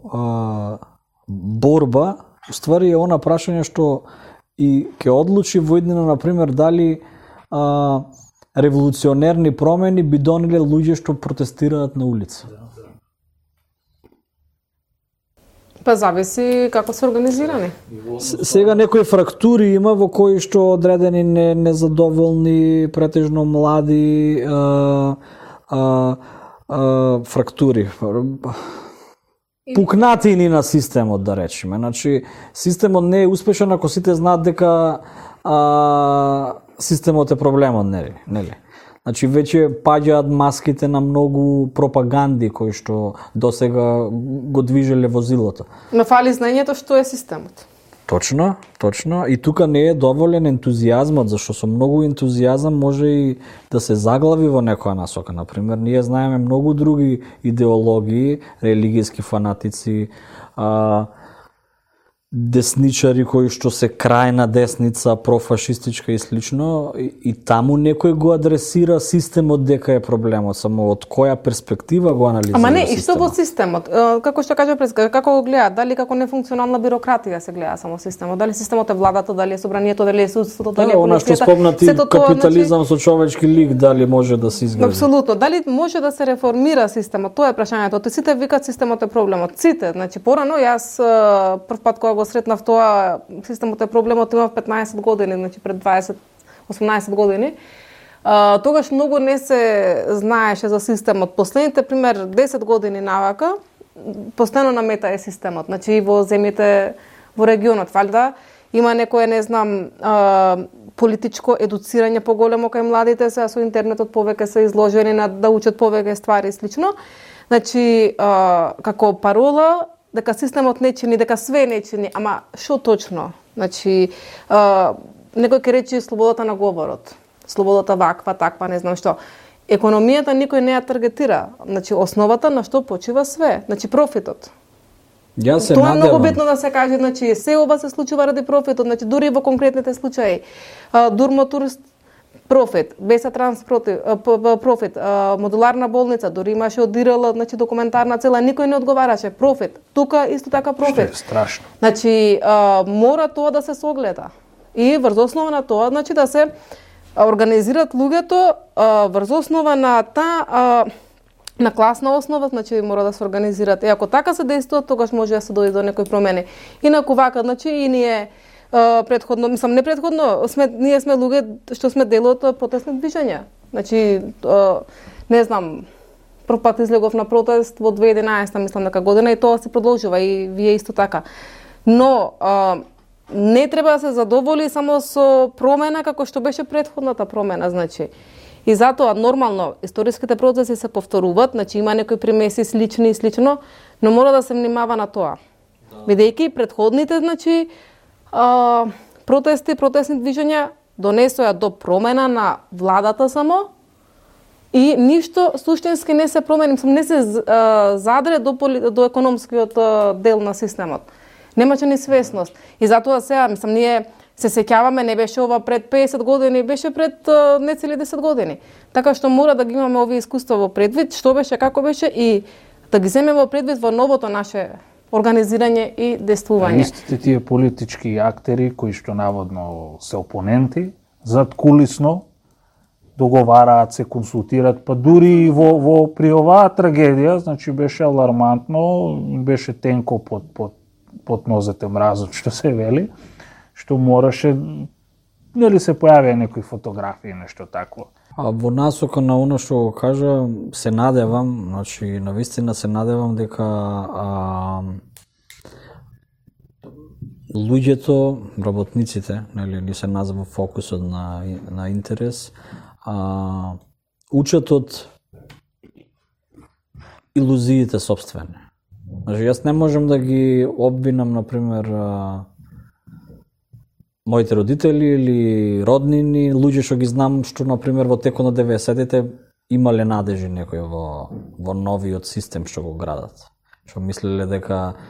борба, уствари е она прашање што и ќе одлучи во иднина, например, дали револуционерни промени би донеле луѓе што протестираат на улица. Па зависи како се организирани. Сега некои фрактури има во кои што одредени незадоволни, претежно млади фрактури. Пукнатини на системот, да речеме. Значи, системот не е успешен ако сите знаат дека системот е проблемот, нели? Значи, веќе паѓаат маските на многу пропаганди кои што досега го движеле возилото. Но фали знаењето што е системот. Точно. И тука не е доволен ентузијазмот, зашто со многу ентузијазам може и да се заглави во некоја насока. Например, ние знаеме многу други идеологии, религијски фанатици, десничари кои што се крајна десница, профашистичка и слично, и таму некој го адресира системот дека е проблемот, само од која перспектива го анализира системот. Ама не, и што во системот? Како што кажа пред, како го гледаат? Дали како нефункционална бирократија се гледа само системот? Дали системот е владата, дали е собранието, дали е судството, дали е полицијата? Она што спомнати капитализам со човечки лик, дали може да се изгради? Апсолутно. Дали може да се реформира системот? Тоа е прашањето. Сите викаат системот е проблемот. Сите. Значи, порано јас прв пат кога го сретнав тоа, системот е проблемот, имав 15 години, значи пред 18 години. Тогаш многу не се знаеше за системот. Последните, пример, 10 години навака, постојано на мета е системот. Значи и во земјите, во регионот, валјда, има некое, не знам, политичко едуцирање поголемо кај младите, сега со интернетот повеќе се изложени на да учат повеќе ствари и слично. Значи, како парола, дека системот не чини, дека све не чини, ама што точно? Значи, некој ќе рече слободата на говорот, слободата ваква, таква, не знам што. Економијата никој не ја таргетира. Значи, основата на што почива све, значи профитот. Тоа е многу битно да се каже, значи, се ова се случува ради профитот, значи, дури во конкретните случаи. Дурмотурст, профит, Беса Транс профит, модуларна болница, дори имаше одирала, значи документарна цела, никој не одговараше, профит. Тука исто така профит. Што е страшно. Значи, мора тоа да се согледа. И врз основа на тоа, значи да се организираат луѓето врз основа на на класна основа, значи мора да се организираат. И ако така се действува, тогаш може да се дојде до некои промени. Инаку вака, значи и ние предходно, мислам не предходно, ние сме луѓе што сме дел од протестни движења. Значи, не знам, прв пат излегов на протест во 2011, мислам дека година, и тоа се продолжува и вие исто така. Но не треба да се задоволи само со промена како што беше предходната промена, значи. И затоа нормално историските процеси се повторуваат, значи има некои примеси слични и слично, но мора да се внимава на тоа. Бидејќи предходните, значи, протестни движења донесоа до промена на владата само и ништо суштински не се промени, не се задре до економскиот дел на системот. Немаше ни свесност. И затоа сега, ние се сеќаваме, не беше ова пред 50 години, беше пред нецели 10 години. Така што мора да ги имаме овие искуства во предвид, што беше, како беше и да ги земеме во предвид во новото наше организирање и действување. Истите тие политички актери кои што наводно се опоненти, зад кулисно договараат, се консултираат, па дури и при оваа трагедија, значи беше алармантно, беше тенко под нозете мразот, што се вели, што мораше, нели се појавија некои фотографии, нешто такво. А во насока на оно што го кажа, се надевам, значи навистина се надевам дека луѓето, работниците, нели ни се назва фокусот на интерес, учат од илузиите сопствени. Значи јас не можам да ги обвинам, например, моите родители или роднини, луѓе што ги знам, што, например, во текот на 90-тите имале надежи некој во новиот систем што го градат. Што мислеле дека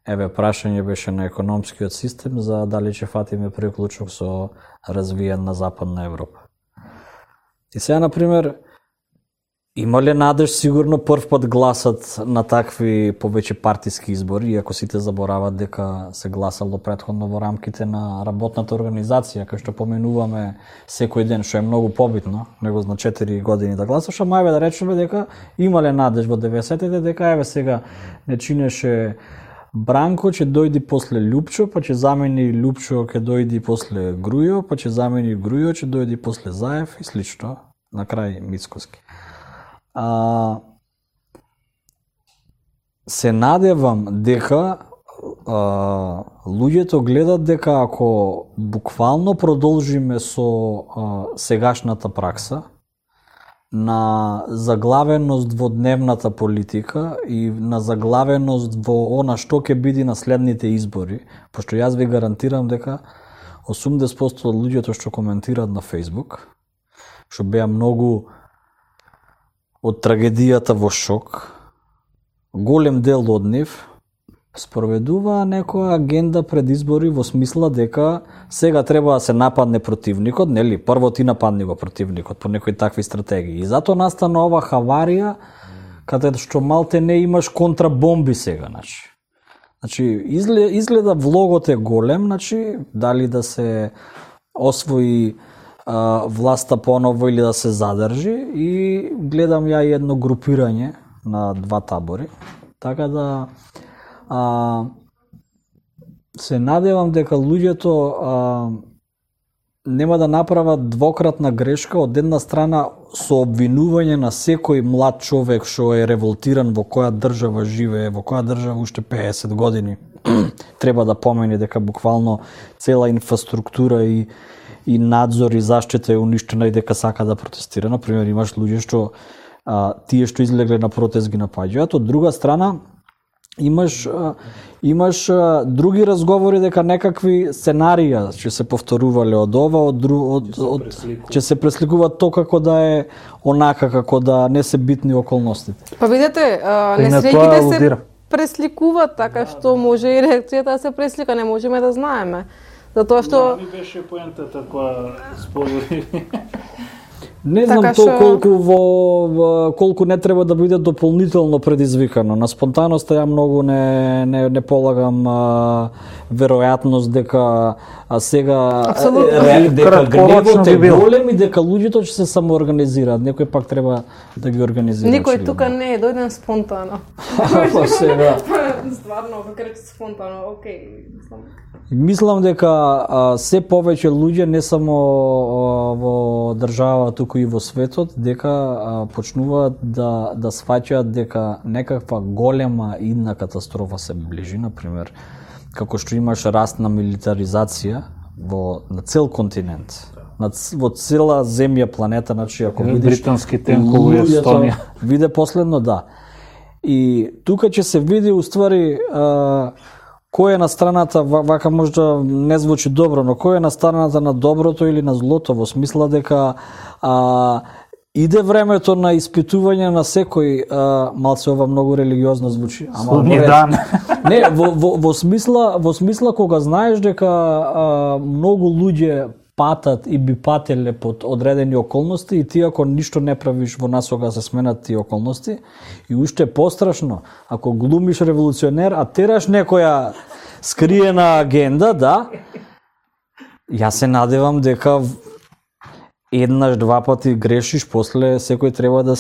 еве прашање беше на економскиот систем за дали ќе фатиме приклучок со развиен на Западна Европа. И сега, например, има ли надеж сигурно прв пат гласат на такви повеќе партиски избори, иако сите заборават дека се гласало претходно во рамките на работната организација, кај што поменуваме секој ден, што е многу побитно, него на 4 години да гласаш, ама еве да речеме дека има ли надеж во 90-те, дека еве сега не чинеше Бранко, ќе дојди после Лјупчо, па ќе замени Лјупчо, ќе дојди после Грујо, па ќе замени Грујо, ќе дојди после Заев и слично, на крај Мицкоски. Се надевам дека луѓето гледат дека ако буквално продолжиме со сегашната пракса на заглавеност во дневната политика и на заглавеност во она што ќе биде на следните избори, пошто јас ви гарантирам дека 80% од луѓето што коментираат на Facebook, што беа многу од трагедијата во шок, голем дел од нив спроведува некоја агенда пред избори во смисла дека сега треба да се нападне противникот, нели? Прво ти нападни го противникот по некои такви стратегии. И затоа настана ова хаварија каде што малте не имаш контрабомби сега, Значи изгледа влогот е голем, дали да се освои власта поново или да се задржи, и гледам ја едно групирање на два табори. Така да се надевам дека луѓето нема да направат двократна грешка, од една страна со обвинување на секој млад човек што е револтиран во која држава живее, во која држава уште 50 години треба да помени дека буквално цела инфраструктура и надзор и заштита е уништена и дека сака да протестира. Например, имаш луѓе што тие што излегле на протест ги напаѓаат. Од друга страна, имаш други разговори дека некакви сценарија ќе се повторувале од ова, ќе се пресликуваат тоа како да е онака, како да не се битни околностите. Па видете, несреќите се пресликуваат така што може и реакцијата да се преслика, не можеме да знаеме. Затоа што ми беше поентата која сподели. Не знам колку не треба да биде дополнително предизвикано. На спонтаноста ја многу не полагам веројатност дека сега дека гневот е голем и дека луѓето ќе се самоорганизираат. Некој пак треба да ги организира. Никој тука не е дојден спонтано. Па сега. Стварно, како рече спонтано, окей. Мислам дека се повеќе луѓе не само во држава, туку и во светот, дека почнуваат да сваќаат дека некаква голема идна катастрофа се ближи, например, како што имаш раст на милитаризација на цел континент, во цела земја, планета, ако видиш британски тенкови во Естонија. Виде последно, да. И тука ќе се види уствари кој е на страната, вака можда не звучи добро, но кој е на страната на доброто или на злото, во смисла дека иде времето на испитување на секој, малце ова многу религиозно звучи, ама не, во смисла кога знаеш дека многу луѓе патат и би пателе под одредени околности и ти ако ништо не правиш во насока се сменат тие околности, и уште пострашно, ако глумиш револуционер, а тераш некоја скриена агенда, да, ја се надевам дека еднаш, два пати грешиш, после секој треба да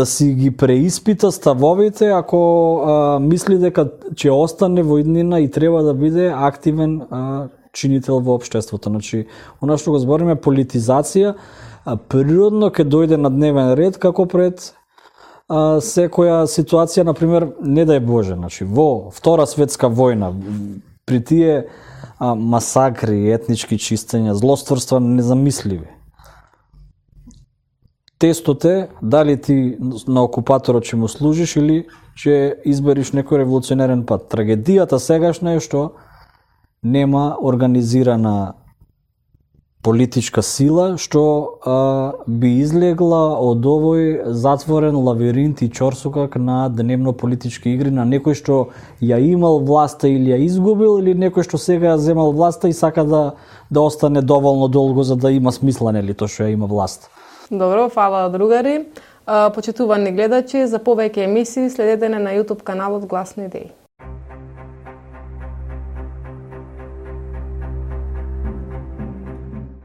си ги преиспита ставовите, ако мисли дека ќе остане во иднина и треба да биде активен чинител во општеството. Значи, она што го збориме политизација, природно ќе дојде на дневен ред како пред секоја ситуација, например, не дај Боже, значи, во Втора светска војна, при тие масакри, етнички чистења, злостварства незамисливи. Тестот е дали ти на окупаторот ќе му служиш или ќе избериш некој револуционерен пат. Трагедијата сегашна е што нема организирана политичка сила што би излегла од овој затворен лавиринт и чорсукак на дневно политички игри на некој што ја имал власта или ја изгубил, или некој што сега ја земал власта и сака да остане доволно долго за да има смисла, нели, тоа што ја има власт. Добро, фала другари. Почитувани гледачи, за повеќе емисии следете на YouTube каналот Гласни идеи.